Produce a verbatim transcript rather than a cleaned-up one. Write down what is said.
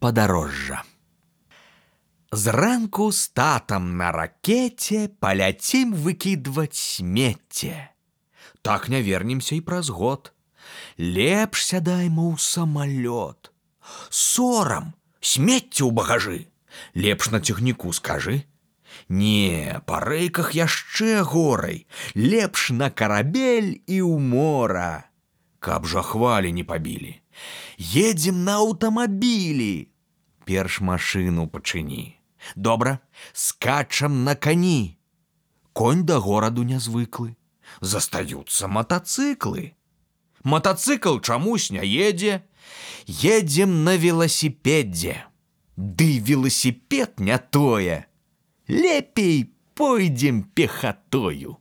падарожжа. Зранку з татам на ракете паляцім выкідваць смецце. Так не вернемся і праз год. Лепш сядаймо ў самалёт. Сорам, смецце ў багажы. Лепш на цягніку скажы. Не, па рэйках яшчэ горай. Лепш на карабель і ў мора. Каб жа хвалі не пабілі. Едзем на аўтамабілі. Перш машыну пачыні. Добра, скачам на кані. Конь да гораду нязвыклы. Застаюцца матацыклы. Матацыкл чамусь не едзе. Едзем на веласіпедзе. Ды веласіпед не тое. Лепей пойдзем пехатою.